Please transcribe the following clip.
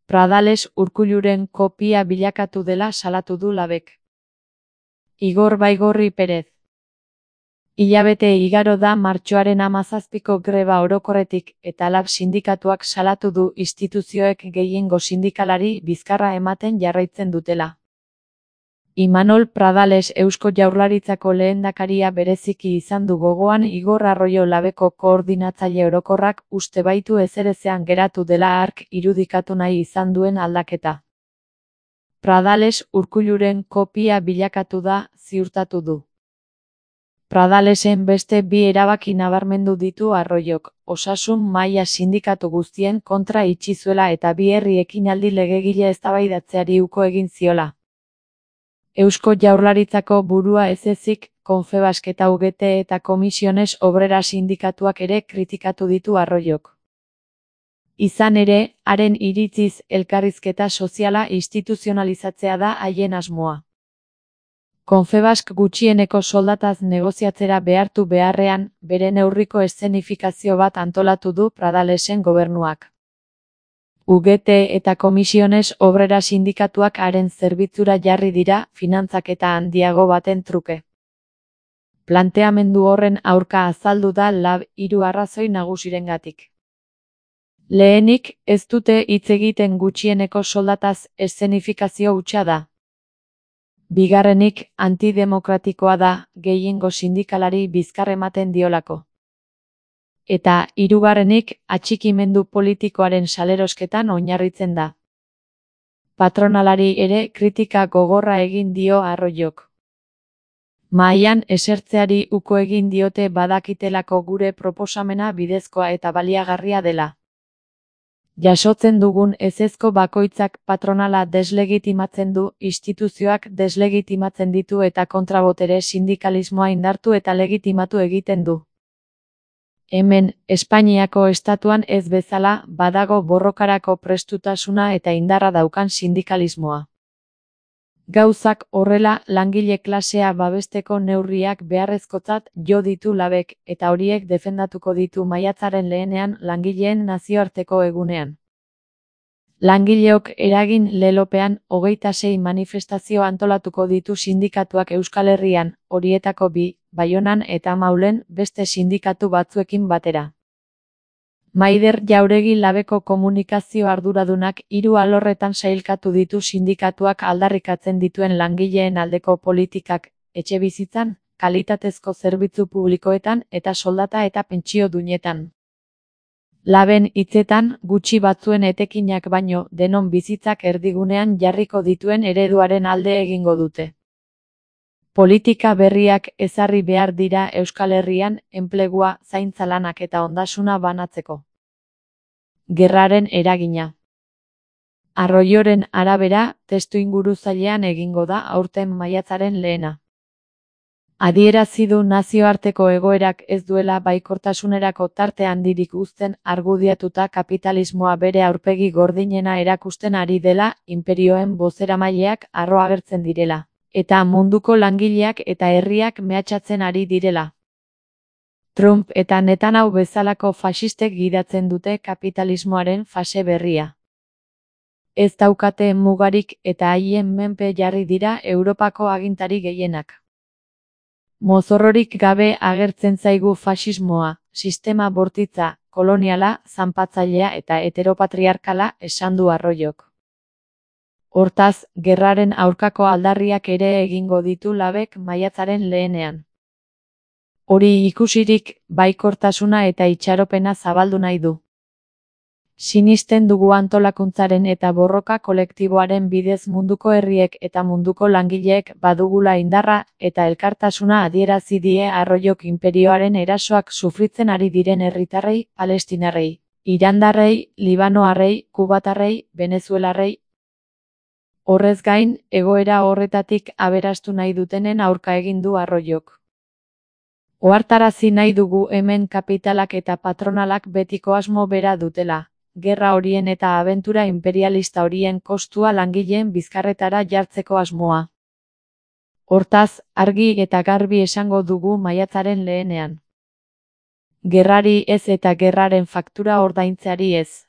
Pradales Urkulluren kopia bilakatu dela salatu du Labek. Igor Baigorri Perez. Hilabete igaro da martxoaren 17ko greba orokorretik eta Lab sindikatuak salatu du instituzioek gehiengo sindikalari bizkarra ematen jarraitzen dutela. Imanol Pradales Eusko Jaurlaritzako lehendakaria bereziki izan du gogoan Igor Arroyo Labeko koordinatzaile orokorrak uste baitu ezerezean geratu dela hark irudikatu nahi izan duen aldaketa. Pradales Urkulluren kopia bilakatu da, ziurtatu du. Pradalesen beste bi erabaki nabarmendu ditu Arroyok, osasun mahaia sindikatu guztien kontra itxi zuela eta bi herri ekinaldi legegile eztabaidatzeari uko egin ziola. Eusko Jaurlaritzako burua ez ezik, Confebask eta UGT eta Comisiones Obreras sindikatuak ere kritikatu ditu Arroyok. Izan ere, haren iritziz elkarrizketa soziala instituzionalizatzea da haien asmoa. Confebask gutxieneko soldataz negoziatzera behartu beharrean, bere neurriko eszenifikazio bat antolatu du Pradalesen gobernuak. UGT eta Comisiones Obreras sindikatuak haren zerbitzura jarri dira finantzaketa handiago baten truke. Planteamendu horren aurka azaldu da Lab 3 arrazoi nagusirengatik. Lehenik, ez dute hitz egiten gutxieneko soldataz eszenifikazio hutsa da. Bigarrenik, antidemokratikoa da, gehiengo sindikalari bizkar ematen diolako. Eta, hirugarrenik, atxikimendu politikoaren salerosketan oinarritzen da. Patronalari ere kritika gogorra egin dio Arroyok. Mahaian esertzeari uko egin diote badakitelako gure proposamena bidezkoa eta baliagarria dela. Jasotzen dugun ezezko bakoitzak patronala deslegitimatzen du, instituzioak deslegitimatzen ditu eta kontrabotere sindikalismoa indartu eta legitimatu egiten du. Hemen, Espainiako estatuan ez bezala, badago borrokarako prestutasuna eta indarra daukan sindikalismoa. Gauzak horrela, langile klasea babesteko neurriak beharrezkotzat jo ditu Labek, eta horiek defendatuko ditu maiatzaren 2ean langileen nazioarteko egunean. Langileok eragin lelopean 26 manifestazio antolatuko ditu sindikatuak Euskal Herrian, horietako 2, Baionan eta Maulen, beste sindikatu batzuekin batera. Maider Jauregi Labeko komunikazio arduradunak 3 alorretan sailkatu ditu sindikatuak aldarrikatzen dituen langileen aldeko politikak, etxebizitzan, kalitatezko zerbitzu publikoetan eta soldata eta pentsio duinetan. Laben hitzetan, gutxi batzuen etekinak baino, denon bizitzak erdigunean jarriko dituen ereduaren alde egingo dute. Politika berriak ezarri behar dira Euskal Herrian, enplegua, zaintza lanak eta ondasuna banatzeko. Gerraren eragina. Arroyoren arabera, testuinguruzailean egingo da aurten maiatzaren 2. Adierazi du nazioarteko egoerak ez duela baikortasunerako tarte handirik uzten argudiatuta kapitalismoa bere aurpegi gordinena erakusten ari dela, inperioen bozeramaileak harro agertzen direla, eta munduko langileak eta herriak mehatxatzen ari direla. Trump eta Netanyahu bezalako faxistek gidatzen dute kapitalismoaren fase berria. Ez daukate mugarik eta haien menpe jarri dira Europako agintari gehienak. Mozorrorik gabe agertzen zaigu faxismoa, sistema bortitza, koloniala, zanpatzailea eta heteropatriarkala, esan du Arroyok. Hortaz, gerraren aurkako aldarriak ere egingo ditu Labek maiatzaren 2ean. Hori ikusirik, baikortasuna eta itxaropena zabaldu nahi du. Sinisten dugu antolakuntzaren eta borroka kolektiboaren bidez munduko herriek eta munduko langileek badugula indarra eta elkartasuna adierazi die Arroyok inperioaren erasoak sufritzen ari diren herritarrei, palestinarrei, irandarrei, libanoarrei, kubatarrei, venezuelarrei. Horrez gain, egoera horretatik aberastu nahi dutenen aurka egin du Arroyok. Ohartarazi nahi dugu hemen kapitalak eta patronalak betiko asmo bera dutela. Gerra horien eta abentura imperialista horien kostua langileen bizkarretara jartzeko asmoa. Hortaz, argi eta garbi esango dugu maiatzaren 2ean. Gerrari ez eta gerraren faktura ordaintzeari ez.